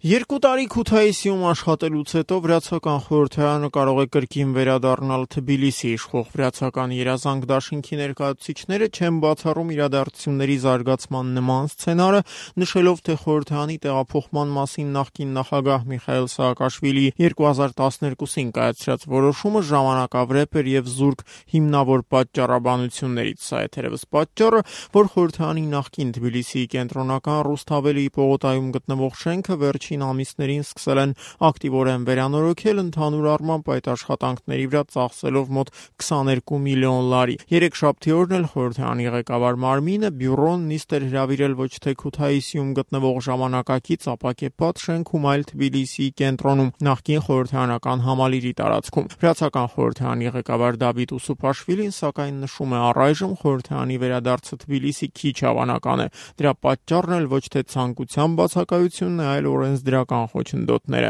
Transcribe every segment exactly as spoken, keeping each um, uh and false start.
Երկու տարի Քութայիսիում աշխատելուց հետո Վրացական խորհրդարանը կարող է կրկին վերադառնալ Թբիլիսի։ Իշխող Վրացական երազանք դաշինքի ներկայացուցիչները չեն բացառում իրադարձությունների զարգացման նման սցենարը, նշելով, թե խորհրդարանի տեղափոխման մասին նախկին նախագահ Միխայիլ Սաակաշվիլիի երկու հազար տասներկուսին կայացրած որոշումը ժամանակավրեպ էր եւ զուրկ հիմնավոր պատճառաբանություններից։ Սա է թերևս պատճառը, որ խորհրդարանի նախկին Թբիլիսիի կենտրոնական Ռուսթավելիի պողոտայում գտնվող շենքը վերջին ամիսներին սկսել են ակտիվորեն վերանորոգել, ընդհանուր առմամբ այդ աշխատանքների վրա ծախսելով մոտ քսաներկու միլիոն լարի։ Երեքշաբթի օրն էլ խորհրդարանի ղեկավար մարմինը բյուրոն նիստ էր հրավիրել ոչ թե Քութայիսիում գտնվող ժամանակակից ապակեպատ շենքում, այլ Թբիլիսիի կենտրոնում նախկին խորհրդարանական համալիրի տարածքում։ Վրացական խորհրդարանի ղեկավար Դավիթ Ուսուփաշվիլին սակայն նշում է, առայժմ խորհրդարանի վերադարձը Թբիլիսի քիչ հավանական է։ Դրա պատճառն էլ ոչ թե ցանկության բացակայությունն է, այլ օրենսդրական խոչընդոտները։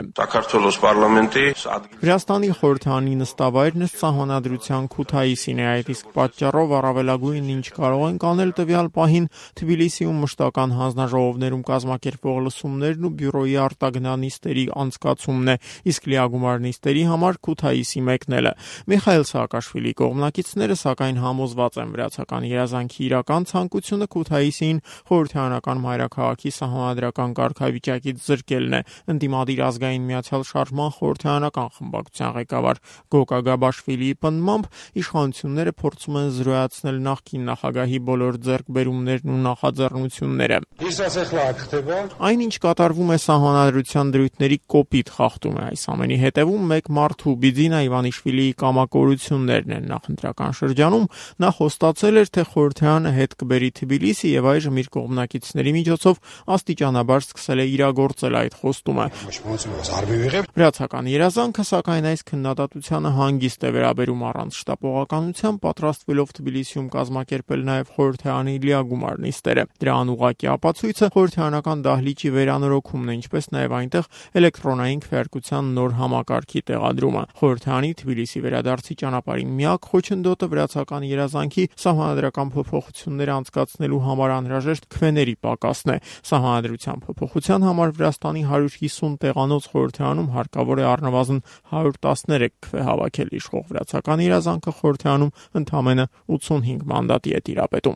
Վրաստանի խորհրդարանի նստավայրն է սահմանադրության Քութայիսին է, այդ իսկ պատճառով առավելագույնն ինչ կարող ենք անել տվյալ պահին Թբիլիսիում մշտական հանձնաժողովներում կազմակերպվող լսումներն ու բյուրոյի արտագնանիստերի անցկացումն է, իսկ լիագումար նիստերի համար Քութայիսի մեկնելը։ Միխայիլ Սաակաշվիլիի կողմնակիցները սակայն համոզված են, վրացական երազանքի իրական ցանկությունը Քութայիսին խորհրդարանական մայրաքաղաքի սահմանադրական կարգավիճակից զրկելն է։ Ընդդիմադիր ազգային միացյալ շարժման խորհրդարանական խմբակցության ղեկավար Գոկա Գաբաշվիլիի պնդմամբ իշխանությունները փորձում են զրոյացնել նախկին նախագահի բոլոր ձեռքբերումներն ու նախաձեռնությունները։ Այն, ինչ կատարվում է սահմանադրության դրույթների կոպիտ խախտում է, այս ամենի հետևում մեկ մարդու Բիձինա Իվանիշվիլիի կամակորություններն են։ Նախընտրական շրջանում նա խոստացել էր, թե խորհրդարանը հետ կբերի Թբիլիսի եւ այժմ իր կողմնակիցների միջոցով աստիճանաբար սկսել է իրագործել այդ խոստումը։ Վրացական երազանքը սակայն այս քննադատությանը հանգիստ է վերաբերում, առանց շտապողականության պատրաստվելով Թբիլիսիում կազմակերպել նաև խորհրդարանի լիագումար նիստերը։ Դրա անուղղակի ապացույցը խորհրդարանական դահլիճի վերանորոգումն է, ինչպես նաև այնտեղ էլեկտրոնային քվեարկության նոր համակարգի տեղադրումը։ Խորհրդարանի Թբիլիսի վերադարձի ճանապարհին միակ խոչընդոտը վրացական երազանքի սահմանադրական փոփոխություններ անցկացնելու համար անհրաժեշտ քվեների պակասն է։ Սահմանադրության փոփոխության համար Վրաստանի հարյուր հիսուն տեղանոց խորհրդարանում հարկավոր է առնվազն հարյուր տասներեք քվե հավաքել։ Իշխող վրացական երազանքը խորհրդարանում ընդամենը ութսունհինգ մանդատի է տիրապետում։